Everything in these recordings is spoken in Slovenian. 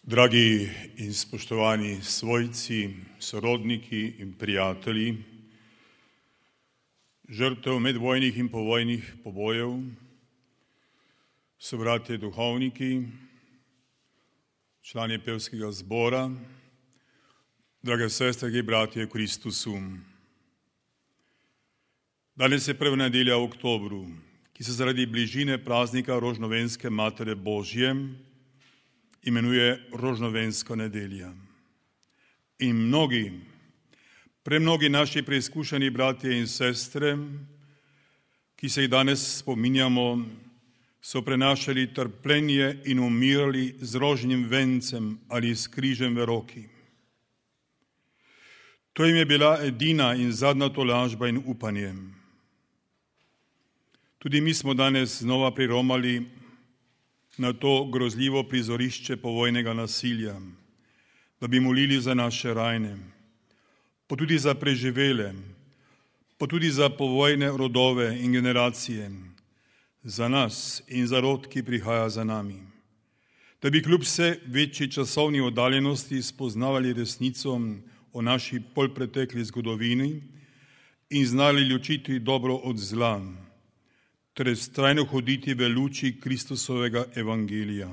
Dragi in spoštovani svojci, sorodniki in prijatelji, žrtev medvojnih in povojnih pobojev, sobratje duhovniki, člani pevskega zbora, drage sestre in bratje v Kristusu. Danes je prva nedelja v oktobru, ki se zaradi bližine praznika Rožnovenske Matere Božje imenuje Rožnovenska nedelja. In premnogi naši preizkušeni bratje in sestre, ki se jih danes spominjamo, so prenašali trpljenje in umirali z rožnim vencem ali s križem v roki. To jim je bila edina in zadnja tolažba in upanje. Tudi mi smo danes znova priromali na to grozljivo prizorišče povojnega nasilja, da bi molili za naše rajne, pa tudi za preživele, pa tudi za povojne rodove in generacije, za nas in za rod, ki prihaja za nami, da bi kljub vse večji časovni oddaljenosti spoznavali resnico o naši polpretekli zgodovini in znali ločiti dobro od zla, ter vztrajno hoditi v luči Kristusovega evangelija.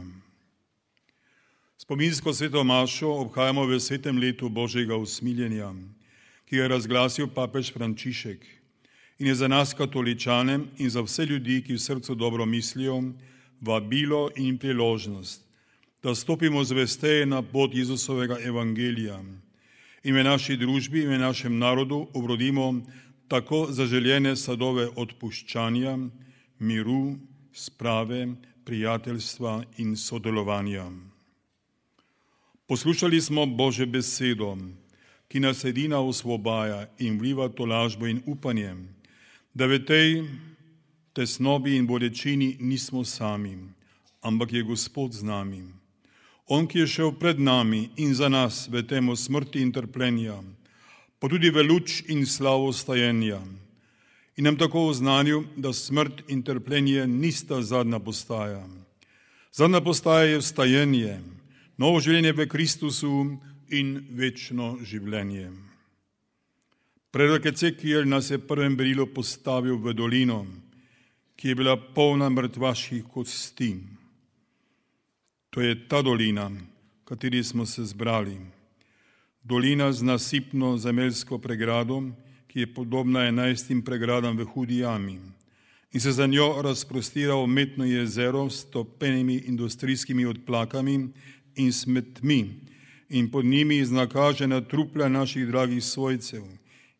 Spominsko sveto mašo obhajamo v svetem letu Božjega usmiljenja, ki je razglasil papež Frančišek in je za nas katoličane in za vse ljudi, ki v srcu dobro mislijo, vabilo in priložnost, da stopimo zvesteje na pot Jezusovega evangelija in v naši družbi in v našem narodu obrodimo tako zaželjene sadove odpuščanja, miru, sprave, prijateljstva in sodelovanja. Poslušali smo Božjo besedo, ki nas edina osvobaja in vliva tolažbo in upanje, da v tej tesnobi in bolečini nismo sami, ampak je Gospod z nami. On, ki je šel pred nami in za nas v temo smrti in trpljenja, pa tudi v luč in slavo stajenja, in nam tako oznanil, da smrt in trpljenje nista zadnja postaja. Zadnja postaja je vstajenje, novo življenje v Kristusu in večno življenje. Prerok Ecekiel nas je prvem berilu postavil v dolino, ki je bila polna mrtvaških kosti. To je ta dolina, v kateri smo se zbrali. Dolina z nasipno zemeljsko pregrado, ki je podobna 11 pregradam v Hudi jami in se za njo razprostira umetno jezero s topenimi industrijskimi odplakami in smetmi in pod njimi iznakažena trupla naših dragih svojcev,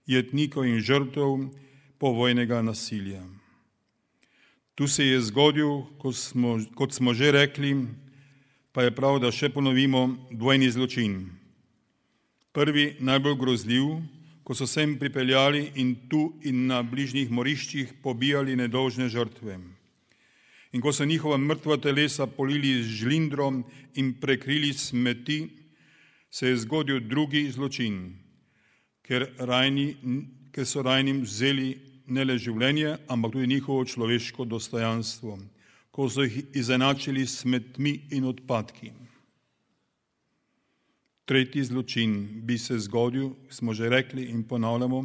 jetnikov in žrtev povojnega nasilja. Tu se je zgodil, kot smo že rekli, pa je prav, da še ponovimo, dvojni zločin. Prvi, najbolj grozljiv, ko so sem pripeljali in tu in na bližnjih moriščih pobijali nedolžne žrtve. In ko so njihova mrtva telesa polili z žlindrom in prekrili smeti, se je zgodil drugi zločin, ker so rajnim vzeli ne le življenje, ampak tudi njihovo človeško dostojanstvo, ko so jih izenačili s smetmi in odpadki. Tretji zločin bi se zgodil, smo že rekli in ponavljamo,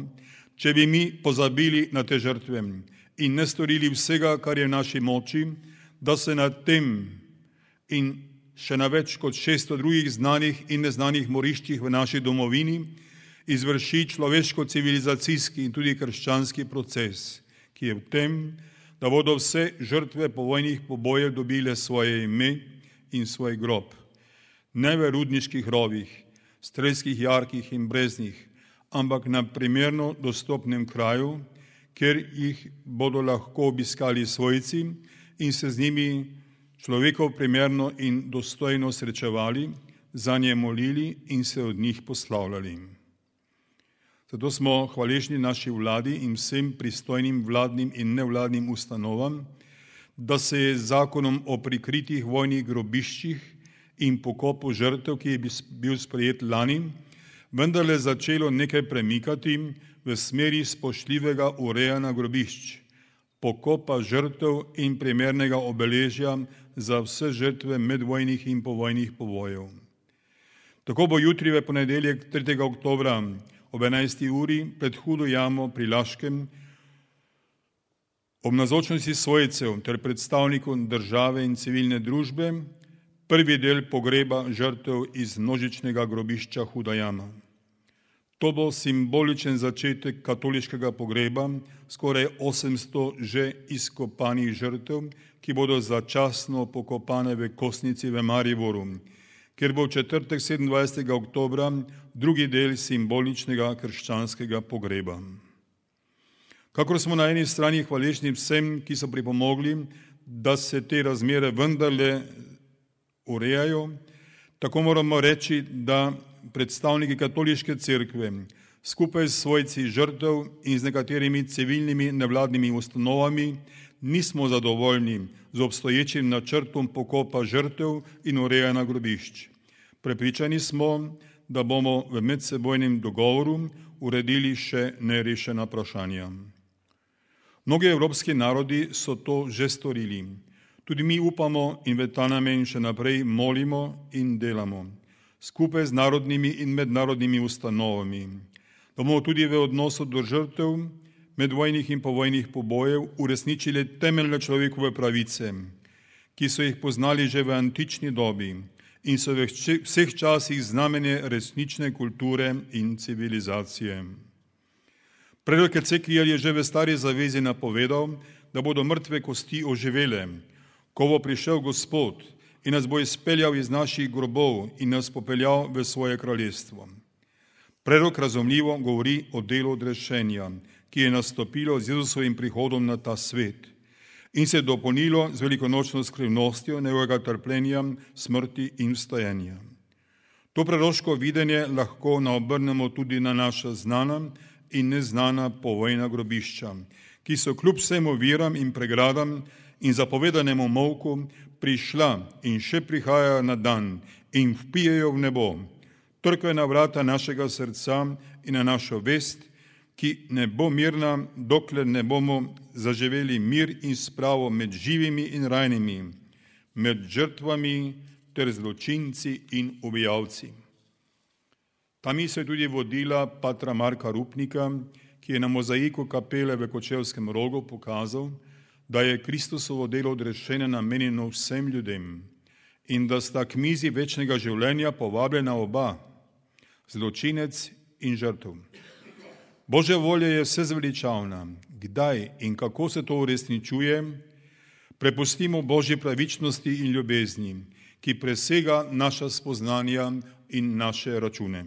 če bi mi pozabili na te žrtve in ne storili vsega, kar je v naši moči, da se na tem in še na več kot 600 drugih znanih in neznanih moriščih v naši domovini izvrši človeško-civilizacijski in tudi krščanski proces, ki je v tem, da bodo vse žrtve povojnih pobojev dobile svoje ime in svoj grob. Ne v rudniških rovih, strelskih jarkih in breznih, ampak na primerno dostopnem kraju, kjer jih bodo lahko obiskali svojci in se z njimi človekov primerno in dostojno srečevali, za nje molili in se od njih poslavljali. Zato smo hvaležni naši vladi in vsem pristojnim vladnim in nevladnim ustanovam, da se je z zakonom o prikritih vojnih grobiščih in pokopu žrtev, ki je bil sprejet lani, vendarle začelo nekaj premikati v smeri spoštljivega urejanja grobišč, pokopa žrtev in primernega obeležja za vse žrtve medvojnih in povojnih pobojev. Tako bo jutri v ponedeljek 3. oktobra ob 11. uri pred Hudo jamo pri Laškem ob navzočnosti svojcev ter predstavnikov države in civilne družbe prvi del pogreba žrtev iz množičnega grobišča Huda jama. To bo simboličen začetek katoliškega pogreba skoraj 800 že izkopanih žrtev, ki bodo začasno pokopane v Kosnici v Mariboru, kjer bo v četrtek 27. oktobra drugi del simboličnega krščanskega pogreba. Kakor smo na eni strani hvaležni vsem, ki so pripomogli, da se te razmere vendarle urejajo, tako moramo reči, da predstavniki katoliške cerkve skupaj s svojci žrtev in z nekaterimi civilnimi nevladnimi ustanovami nismo zadovoljni z obstoječim načrtom pokopa žrtev in urejanja grobišč. Prepričani smo, da bomo v medsebojnem dogovoru uredili še nerešena vprašanja. Mnogi evropski narodi so to že storili. Tudi mi upamo in v ta namen še naprej molimo in delamo, skupaj z narodnimi in mednarodnimi ustanovami, da bomo tudi v odnosu do žrtev medvojnih in povojnih pobojev uresničili temeljne človekove pravice, ki so jih poznali že v antični dobi in so v vseh časih znamenje resnične kulture in civilizacije. Predlog Ecekijel je že v Stari zavezi napovedal, da bodo mrtve kosti oživele, ko bo prišel Gospod in nas bo izpeljal iz naših grobov in nas popeljal v svoje kraljestvo. Predlog razumljivo govori o delu odrešenja, ki je nastopilo z Jezusovim prihodom na ta svet in se je dopolnilo z velikonočno skrivnostjo njegovega trpljenja, smrti in vstajenja. To proroško videnje lahko naobrnemo tudi na naša znana in neznana povojna grobišča, ki so kljub vsem oviram in pregradam in zapovedanemu molku prišla in še prihajajo na dan in vpijejo v nebo, trkajo na vrata našega srca in na našo vest, ki ne bo mirna, dokler ne bomo zaživeli mir in spravo med živimi in rajnimi, med žrtvami ter zločinci in ubijalci. Ta misel je tudi vodila patra Marka Rupnika, ki je na mozaiku kapele v Kočevskem Rogu pokazal, da je Kristusovo delo odrešenja namenjeno vsem ljudem in da sta k mizi večnega življenja povabljena oba, zločinec in žrtev. Božja volja je vsezveličavna. Kdaj in kako se to uresničuje, prepustimo Božji pravičnosti in ljubezni, ki presega naša spoznanja in naše račune.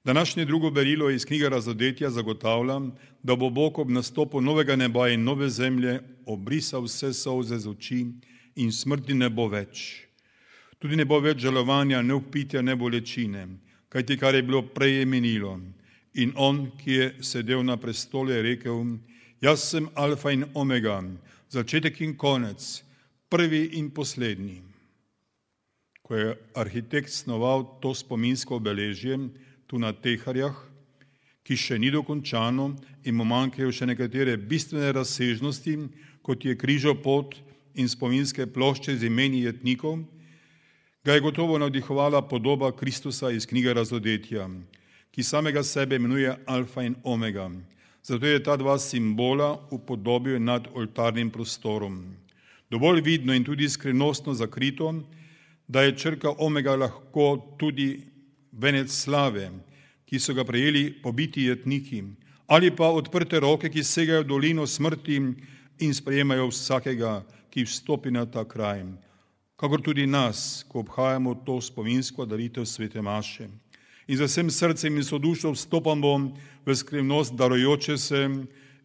Današnje drugo berilo iz knjige Razodetja zagotavlja, da bo Bog ob nastopu novega neba in nove zemlje obrisal vse solze z oči in smrti ne bo več. Tudi ne bo več žalovanja, ne vpitja, ne bolečine, kajti kar je bilo prej je minilo. In on, ki je sedel na prestolu, je rekel: Jaz sem alfa in omega, začetek in konec, prvi in poslednji. Ko je arhitekt snoval to spominsko obeležje tu na Teharjah, ki še ni dokončano in mu manjkajo še nekatere bistvene razsežnosti, kot je križopot in spominske plošče z imeni jetnikov, ga je gotovo navdihovala podoba Kristusa iz knjige Razodetja, ki samega sebe imenuje alfa in omega. Zato je ta dva simbola upodobil nad oltarnim prostorom. Dovolj vidno in tudi skrivnostno zakrito, da je črka omega lahko tudi venec slave, ki so ga prejeli pobiti jetniki, ali pa odprte roke, ki segajo v dolino smrti in sprejemajo vsakega, ki vstopi na ta kraj, kakor tudi nas, ko obhajamo to spominsko daritev svete maše. In za vsem srcem in sodušo vstopamo v skrivnost darujoče se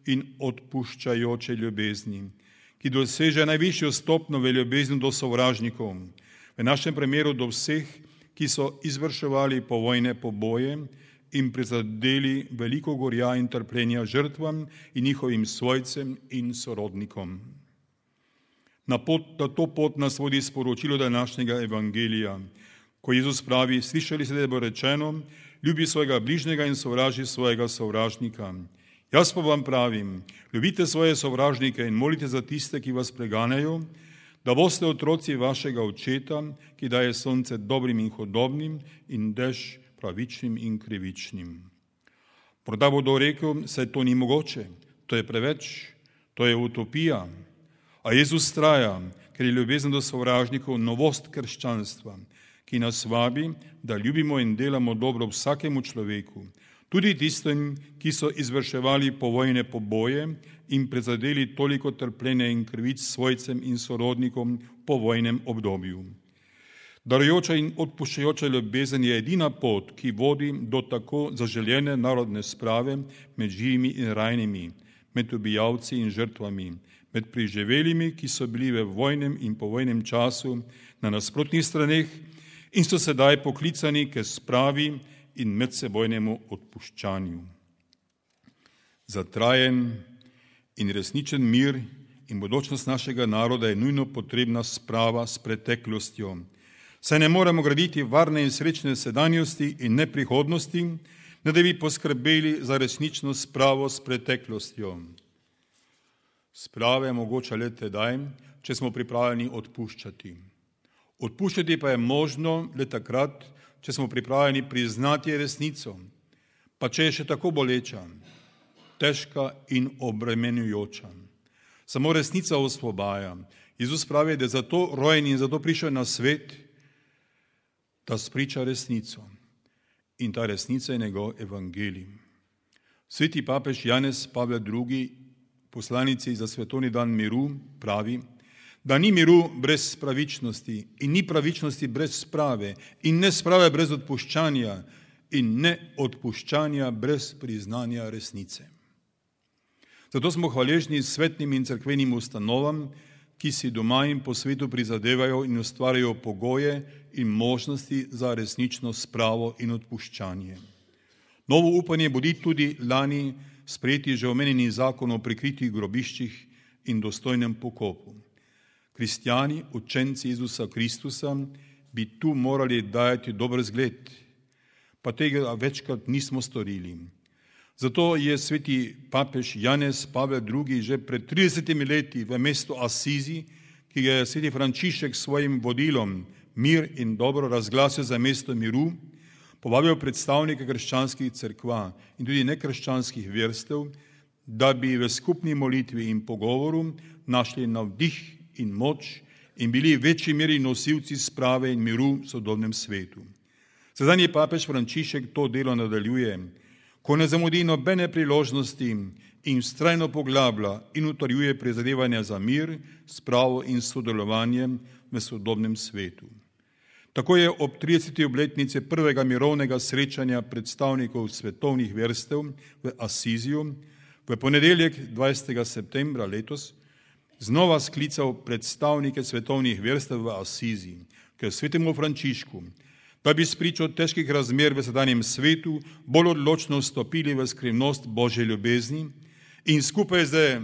in odpuščajoče ljubezni, ki doseže najvišjo stopnjo v ljubezni do sovražnikov, v našem primeru do vseh, ki so izvrševali povojne poboje in prizadeli veliko gorja in trpljenja žrtvam in njihovim svojcem in sorodnikom. Na to pot nas vodi sporočilo današnjega evangelija, ko Jezus pravi: Slišali ste, da je bilo rečeno, ljubi svojega bližnjega in sovraži svojega sovražnika. Jaz pa vam pravim, ljubite svoje sovražnike in molite za tiste, ki vas preganjajo, da boste otroci vašega očeta, ki daje sonce dobrim in hudobnim in dež pravičnim in krivičnim. Morda bodo rekel, saj to ni mogoče, to je preveč, to je utopija. A Jezus traja, ker je ljubezen do sovražnikov novost krščanstva, ki nas vabi, da ljubimo in delamo dobro vsakemu človeku, tudi tistim, ki so izvrševali povojne poboje in prizadeli toliko trpljenja in krivic svojcem in sorodnikom po vojnem obdobju. Darujoča in odpuščajoča ljubezen je edina pot, ki vodi do tako zaželjene narodne sprave med živimi in rajnimi, med ubijalci in žrtvami, med preživelimi, ki so bili v vojnem in povojnem času na nasprotnih straneh in so sedaj poklicani k spravi in medsebojnemu odpuščanju. Za trajen in resničen mir in bodočnost našega naroda je nujno potrebna sprava s preteklostjo. Saj ne moremo graditi varne in srečne sedanjosti in ne prihodnosti, ne da bi poskrbeli za resnično spravo s preteklostjo. Sprava je mogoča le tedaj, če smo pripravljeni odpuščati. Odpuščati pa je možno le takrat, če smo pripravljeni priznati resnico, pa če je še tako boleča, težka in obremenjujoča. Samo resnica osvobaja. Jezus pravi, da je zato rojen in zato prišel na svet, da spriča resnico. In ta resnica je njegov evangelij. Sveti papež Janez Pavel II, poslanici za svetovni dan miru, pravi, da ni miru brez pravičnosti in ni pravičnosti brez sprave in ne sprave brez odpuščanja in ne odpuščanja brez priznanja resnice. Zato smo hvaležni svetnim in cerkvenim ustanovam, ki si doma in po svetu prizadevajo in ustvarjajo pogoje in možnosti za resnično spravo in odpuščanje. Novo upanje budi tudi lani sprejeti že omenjeni zakon o prikritih grobiščih in dostojnem pokopu. Kristjani, učenci Jezusa Kristusa, bi tu morali dajati dober zgled, pa tega večkrat nismo storili. Zato je sveti papež Janez Pavel II že pred 30 leti v mestu Asizi, ki ga je sveti Frančišek s svojim vodilom Mir in dobro razglasil za mesto miru, povabil predstavnike krščanskih cerkva in tudi nekrščanskih verstev, da bi v skupni molitvi in pogovoru našli navdih in moč in bili v večji meri nosilci sprave in miru v sodobnem svetu. Sedanji papež Frančišek to delo nadaljuje, ko ne zamudi nobene priložnosti in vztrajno poglablja in utrjuje prizadevanja za mir, spravo in sodelovanje v sodobnem svetu. Tako je ob 30. obletnici prvega mirovnega srečanja predstavnikov svetovnih verstev v Asiziju v ponedeljek 20. septembra letos znova sklical predstavnike svetovnih verstev v Asizi k svetemu Frančišku, da bi spričo težkih razmer v sedanjem svetu bolj odločno vstopili v skrivnost Božje ljubezni in skupaj z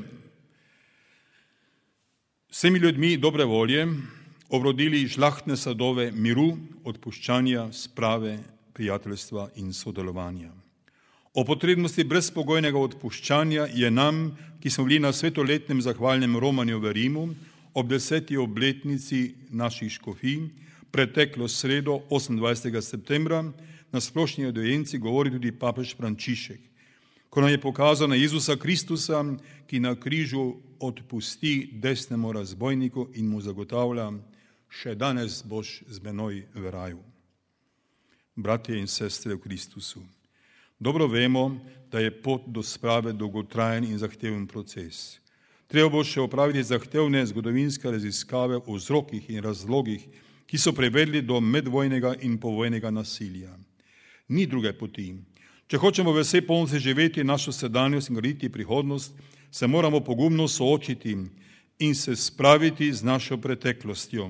vsemi ljudmi dobre volje obrodili žlahtne sadove miru, odpuščanja, sprave, prijateljstva in sodelovanja. O potrebnosti brezpogojnega odpuščanja je nam, ki smo bili na svetoletnem zahvalnem romanju v Rimu, ob 10. obletnici naših škofij, preteklo sredo 28. septembra, na splošni audienci govori tudi papež Frančišek, ko nam je pokazal na Jezusa Kristusa, ki na križu odpusti desnemu razbojniku in mu zagotavlja, še danes boš z menoj v raju. Bratje in sestre v Kristusu, dobro vemo, da je pot do sprave dolgotrajen in zahteven proces. Treba bo še opraviti zahtevne zgodovinske raziskave o vzrokih in razlogih, ki so privedli do medvojnega in povojnega nasilja. Ni druge poti. Če hočemo v vsej polnosti živeti našo sedanjost in graditi prihodnost, se moramo pogumno soočiti in se spraviti z našo preteklostjo.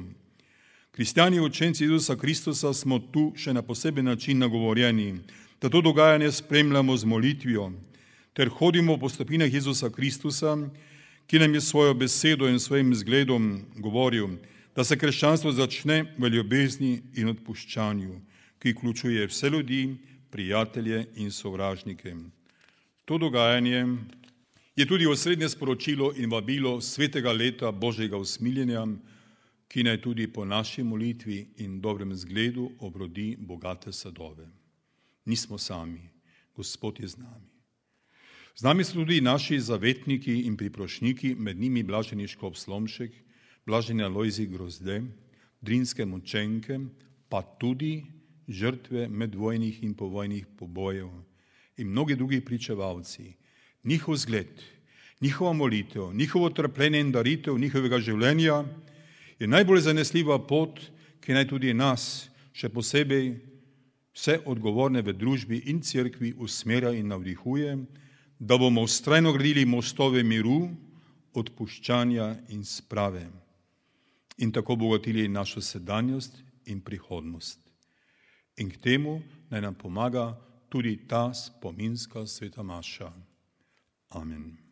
Kristjani učenci Jezusa Kristusa smo tu še na poseben način nagovorjeni, da to dogajanje spremljamo z molitvijo, ter hodimo po stopinjah Jezusa Kristusa, ki nam je svojo besedo in svojim zgledom govoril, da se krščanstvo začne v ljubezni in odpuščanju, ki vključuje vse ljudi, prijatelje in sovražnike. To dogajanje je tudi osrednje sporočilo in vabilo svetega leta Božjega usmiljenja, ki naj tudi po naši molitvi in dobrem zgledu obrodi bogate sadove. Nismo sami, Gospod je z nami. Z nami so tudi naši zavetniki in priprošniki, med njimi blaženi Škof Slomšek, blaženi Alojzij Grozde, drinske mučenke, pa tudi žrtve medvojnih in povojnih pobojev in mnogi drugi pričevalci. Njihov zgled, njihova molitev, njihovo trpljenje in daritev njihovega življenja je najbolj zanesljiva pot, ki naj tudi nas, še posebej vse odgovorne v družbi in cerkvi, usmerja in navdihuje, da bomo vztrajno gradili mostove miru, odpuščanja in sprave in tako bogatili našo sedanjost in prihodnost. In k temu naj nam pomaga tudi ta spominska sveta maša. Amen.